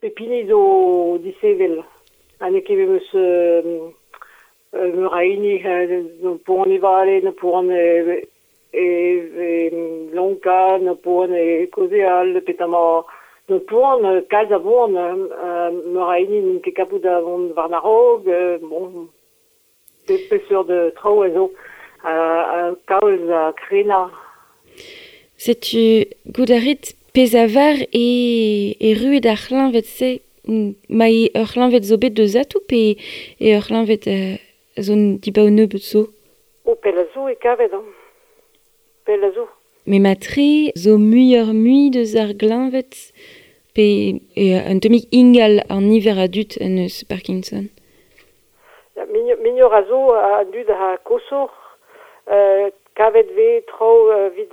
Pep hini zo disheñvel ha n'eo ket memes meur a hini no poan e vale, no poan e e lonkañ, no poan e kaozeal, petamant no poan, kalz a boan, meur a hini n'int ket kapout da vont war a-raok, bon, peseurt traoù a zo kalz a krenañ. Setu goût a rit pezh a var e erruet ar c'hleñved-se ma eo ur c'hleñved zo bet deus atoù pe eo ur c'hleñved zo dibaoe nebeut zo? Oh, pell a zo e kavet hañ. Pell a zo. Met matre zo muioc'h-mui deus ar gleñved pe eo un tammig ingal an niver a dud en deus Parkinson? Ya, muioc'h a zo a dud a koshoc'h. Kavet 'vez traoù evit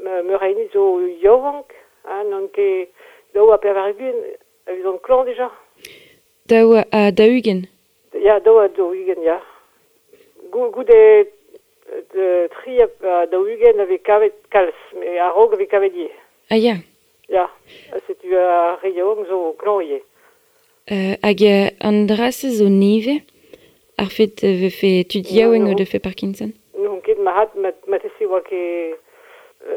meur a hini zo yaouank, hein, n'on ket 82 evit on klañv dija. 42? Ya, 42, ya. Goude 43 a vez kavet kalz, met a-raok a vez kavet ivez. Ah ya. Ya, setu ar re yaouank zo klañv ivez. Hag an dra-se zo nevez, ar fet vefe tud yaouank o defe Parkinson? N'on ket marc'had, marteze 'oa ket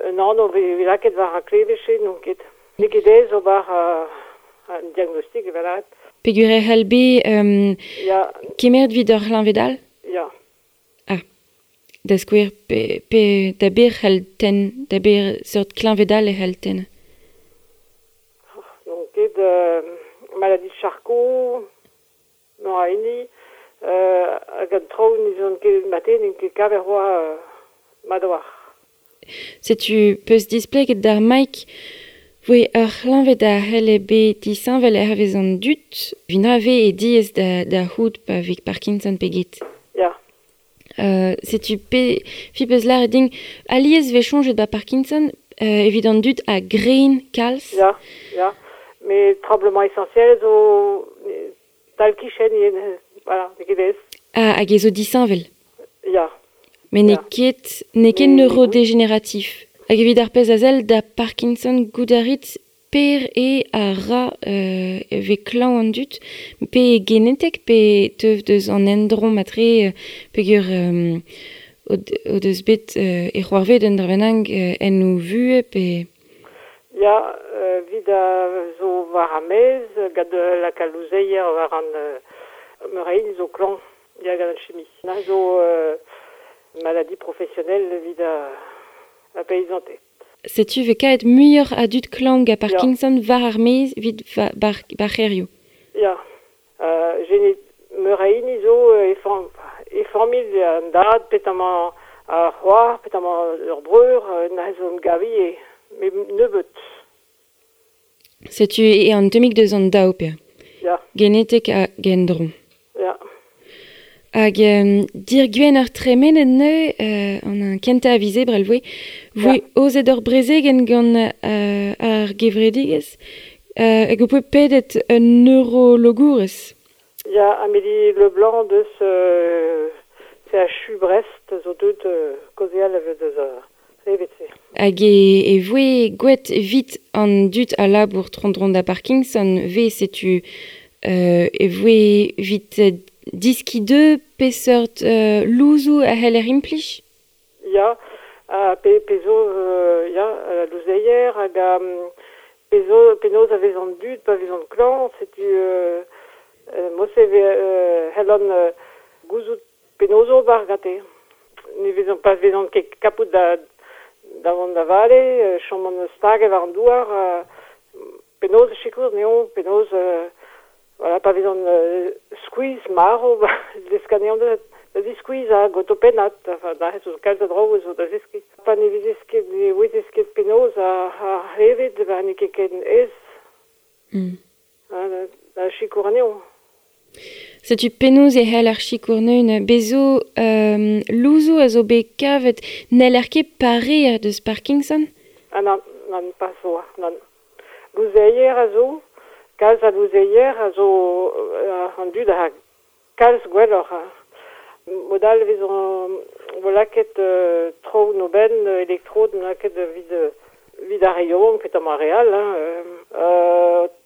un anv 'vez lakaet war ar kleved-se, n'on ket. N'eo ket aes ober an diagnostik evel-rat. Peogwir e c'hell bet Ya. kemeret evit ur c'hleñved all? Ya. Ah. Da skouer, pe, pe da ber c'hell tenn, da ber seurt kleñved all e c'hell tenn? N'on ket maladie de Charcot, meur a hini, hag an traoù n'izont ket mate n'int ket kavet c'hoazh mat a-walc'h. Setu peus displeget d'ar Mike voe ur c'hleñved a c'helle bet disheñvel hervez an dud, evit na vez e diaes da, da c'hoût pa vez Parkinson pe get. Ya. Setu pe fi peus lâret din alies 'vez soñjet 'ba Parkinson evit an dud a gren kalz. Ya, ya. Mais tremblement essentiel zo tal-kichen ivez, voilà, n'eo ket aes. Ah, hag e zo disheñvel. Ya. Met n'eo ket n'eo ket neurodégénératif. Hag evit ar pezh a sell da Parkinson goût a rit per eo a ra e vez klañv an dud, pe genetek pe teu deus an endro matre peogwir o deus bet e c'hoarvez un dra bennak en o vuhez pe... Ya, evit a zo war ar maez, gant lakaat louzeier war an meur a hini zo klañv, ya gant an chimi. Na zo maladie professionnelle evit ar peizanted. Setu 'vez kavet muioc'h a dud klañv gant Parkinson war ar maez evit bar c'hêrioù. Ya, genet meur a hini zo e e familh an dad, petamant ar c'hoar, petamant ur breur, na zo 'n gavi met nebeut. Setu eo an tammig deus an daou pe. Ya. Genetek hag endro. Ya. Hag dir Gwener tremenet neuze, an kentañ a viz Ebrel 'voe, 'voe aozet ur brezegenn gant ar gevredigezh hag ho poe pedet un neurologourez. Ya, Amélie Leblanc deus CHU Brest zo deuet kaozeal deus ar c'hleñved-se. Hag e voe gwelet evit an dud a labour tro-dro da Parkinson 'vez setu e voe evit diskiñ deu peseurt louzoù a c'heller implij? Ya, pe, pe zo ya, louzeier hag pe zo penaos a vez an dud pa vezont klañv, setu mod-se c'hellan gouzout penaos ober gante. Ne vezont pa vezont ket kapout da da vont da vale, chomont staget war an douar, penaos sikour anezho, penaos voilà, pa vezont skuizh marv, desk anezhañ da ziskuizhañ gant ho pennad, enfin, da zo kalz a draoù zo da zeskiñ. Pa ne vezez ket, ne ouezez ket penaos ar c'hleñved, ba n'eo ket ken aes da sikour anezho. Setu penaos e c'hell ar sikour neun bez zo louzoù a zo bet kavet n'heller ket pareañ deus Parkinson? Ah nann, nann, pas zo, nann. Louzeier a zo, kalz a louzeier a zo an dud a kalz gwelloc'h. Mod all e vezont vo lakaet traoù 'n o benn, elektrod lakaet evit evit ar re yaouank petamant ar re all hein.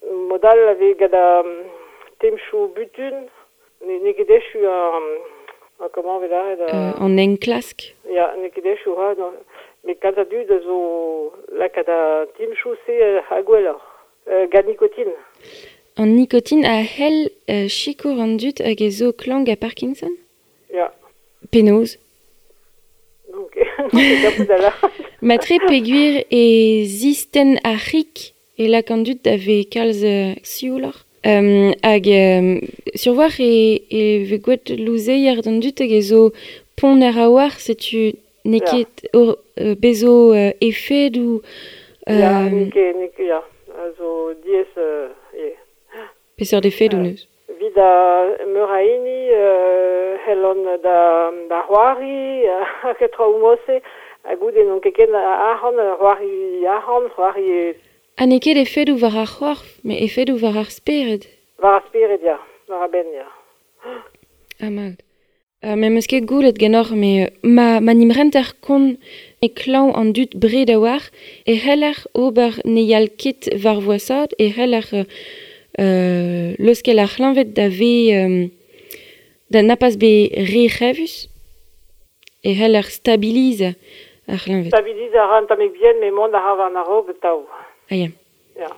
Modal a vez gant ar temchoù butun, n'eo ket echu ar comment vez lâret An enklask. Ya, n'eo ket echu ra, met kalz a dud a zo lakaat an temchoù-se ha gwelloc'h. Gant nikotin. An nikotin a c'hell sikour an dud hag e zo klañv gant Parkinson? Ya. Penaos? Donc, Matre peogwir e zistenn ar c'hig e lak an dud da vez kalz siouloc'h. Hag sur-walc'h e vez gwelet louzeier d'an dud hag e zo ponner a-walc'h, setu n'eo ket bezo efedoù... Ya, n'eo ket, ya, a zo diaes ivez. Peseurt efedoù neus? Evit meur a hini c'hellont da c'hoari hag traoù mod-se, ha goude n'on ket ken arc'hant, c'hoari arc'hant, c'hoari... Ha n'eo ket efedoù war ar c'horf, met efedoù war ar spered. War ar spered, ya, war ar benn, ya. Ah, mat. Me 'm eus ket goulet ganeoc'h, met ma n'im renter kont e klañv an dud bred a-walc'h, e c'heller ober ne yal ket war voasaat, e c'heller leuskel ar c'hleñved da vez da na pas bet re c'hrevus, e c'heller stabilizañ ar c'hleñved. Stabilizañ a ra un tammig bihan, met mont a ra war an a-raok atav. Ah ya. Ya.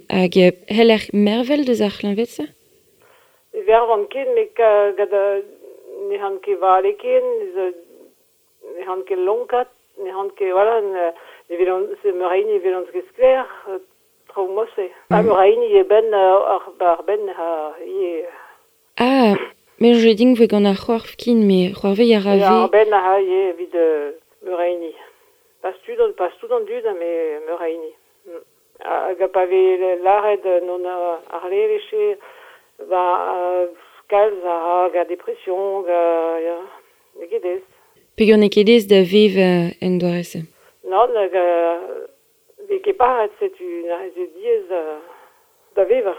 Hag c'heller mervel deus ar c'hleñved-se? Ne vervan ket, met gant ne c'han ket vale ken, ne c'han ket lonkat, ne c'han ket, voilà, ne velon, meur a hini ne velon ket sklaer, traoù mod-se. Ha meur a hini e benn ar benn ha ivez. Ah, me soñje din voe gant ar c'horf kin, met c'hoarvez a ra ve... Ar benn a ra ivez evit meur a hini. Pas tout, pas tout an dud, met meur a hini. Hag pa vez lâret non ar levez ba kalz a ra gant depression, gant ya, n'eo ket aes. Peogwir n'eo ket aes da vevañ en doare-se? Nann, hag vez ket paret, setu neuze diaes da vevañ.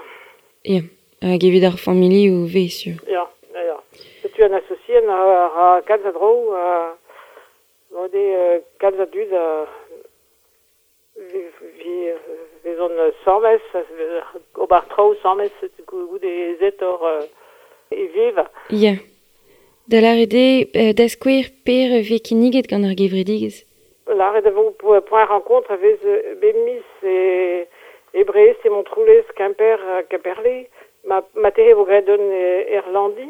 Ya, hag evit ar familhoù 'vez sur. Ya, ya, ya. Setu an associenn a ra kalz a draoù, ha goude kalz a dud a vezont sames, ober traoù sames goude ezetoc'h e vevañ. Ya. Da lâret eo, da skouer per vez kinniget gant ar gevredigezh? Lâret e vo point rencontre a vez bep miz e Brest, e Montroulez, Kemper, Kemperle. Ma tere vo graet un Erlandi.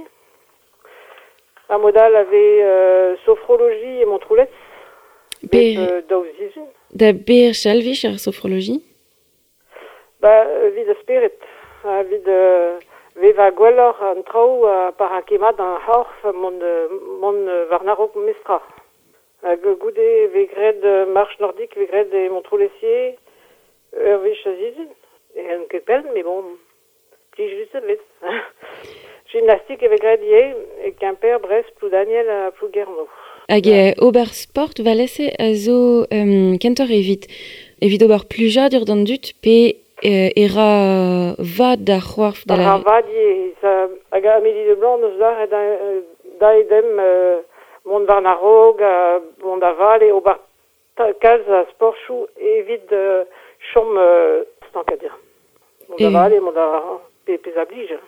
Ar mod all a vez sophrologie e Montroulez. Bep daou sizhun. Da ber chalvich ar sophrologie? Ba, evit ar spered, evit vevañ gwelloc'h an traoù pa ra ket mat an c'horf mont war a-raok memestra. Hag goude e vez graet marche nordique vez graet e Montroulez-Sier ur wech a sizhun. E n'on ket pell, met bon, plijus e vez. Gymnastique e vez graet ivez e Kemper, Brest, Ploudaniel ha Plouguerneau. Hag ober sport valese a zo kentoc'h evit ober plijadur d'an dud pe e ra vad d'ar c'hoarf da la... Ra vad ivez. Hag Amélie Leblanc neus lâret da edem mont war a-raok, mont da vale, ober kalz a sportchoù evit chom stankadur. Mont da vale, mont da pezh a blij.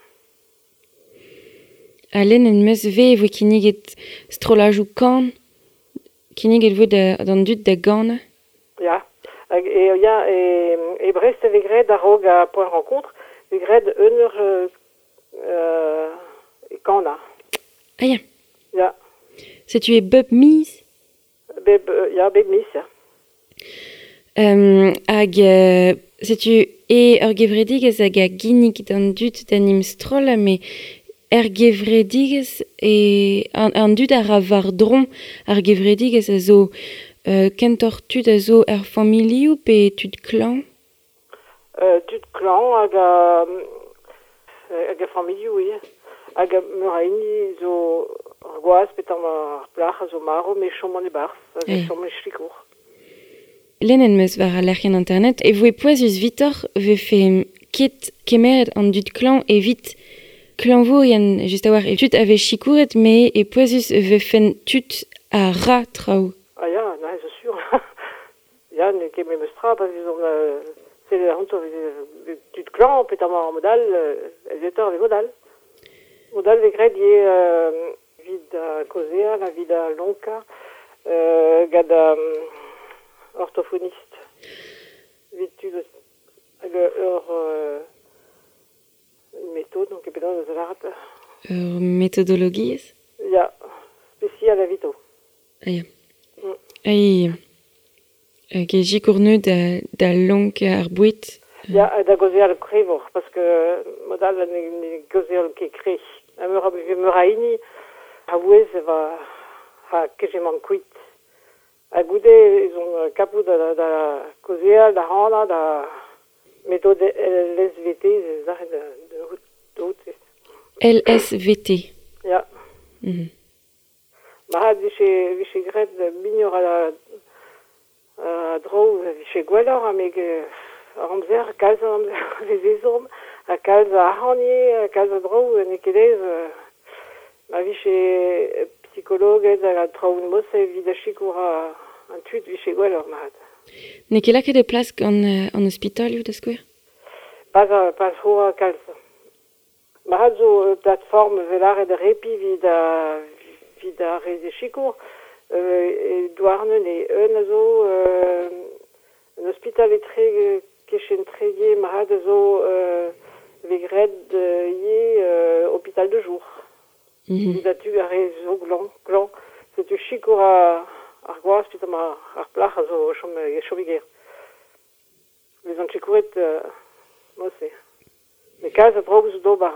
Ha lenn en meus ve e voe kinniget strollajoù kan, kinniget voe d'an dud da ganañ. Ya, hag e, ya, e Brest e vez graet a-raok a point rencontre, vez graet un eur e kanañ. Ah ya. Ya. Setu e bep miz? Bep, ya, bep miz, ya. Hag setu e ur gevredigezh hag a ginnig d'an dud d'an im strollañ, met er gevredigezh e an dud a ra war-dro ar gevredigezh a zo kentoc'h tud a zo er familhoù pe tud klañv? Tud klañv hag a familhoù, oui. Hag meur a hini zo ar gwaz pe tamm ar plac'h a zo marv, met chom an e-barzh, hag chom e sikour. Lenn en meus war al lec'hienn internet e voe pouezus vitoc'h vefe ket kemeret an dud klañv evit klañvourien just a-walc'h e tud a vez sikouret, met e pouezus vefen tud a ra traoù. Ah ya, na, c'est sûr. Ya, n'eo ket memes tra, pa vezont Tel a veze tud klañv petamant ar mod all, ez etor vez mod all. Mod all vez graet ivez evit kaozeal, evit lonkañ, gant orthophoniste. Evit tud hag ur méthode, donc penaos da lâret. Ur metodologiezh? Ya, spesial evito. Ah ya. Ai, hag e sikour da, da lonkañ ar boued? Ya, da gaozeal krevoc'h, parce que mod all ne, ne gaozeal ket kre. Ha meur a, meur a hini a vouez va ha kejemant kuit. Ha goude ez on kapout da, da kaozeal, da rannañ, da méthode LSVT, ez da da da LSVT. Ya. Ma vije, vije graet mignor a, a dro, vije gwelloc'h, ha me ar amzer, kalz a amzer vez ezhomm, ha kalz a arc'hant ivez, kalz a dro, n'eo ket aes. Ma vije psikologed hag traoù mod-se evit da sikour an tud vije gwelloc'h mat. N'eo ket lakaet e plas gant an ospitalioù da skouer? Pas, pas c'hoa kalz. Mat zo ur plateforme 'vel lâret repi evit evit ar re ze sikour. E Douarnenez e un a zo un ospital etre kichen Tréguier mat a zo vez graet ivez hôpital de jour. Evit da tu ar re zo glañv, glañv. Setu sikour ar gwaz petamant ar plac'h a zo chom, chom e gêr. Vezan sikouret mod-se. Met kalz a draoù zo d'ober.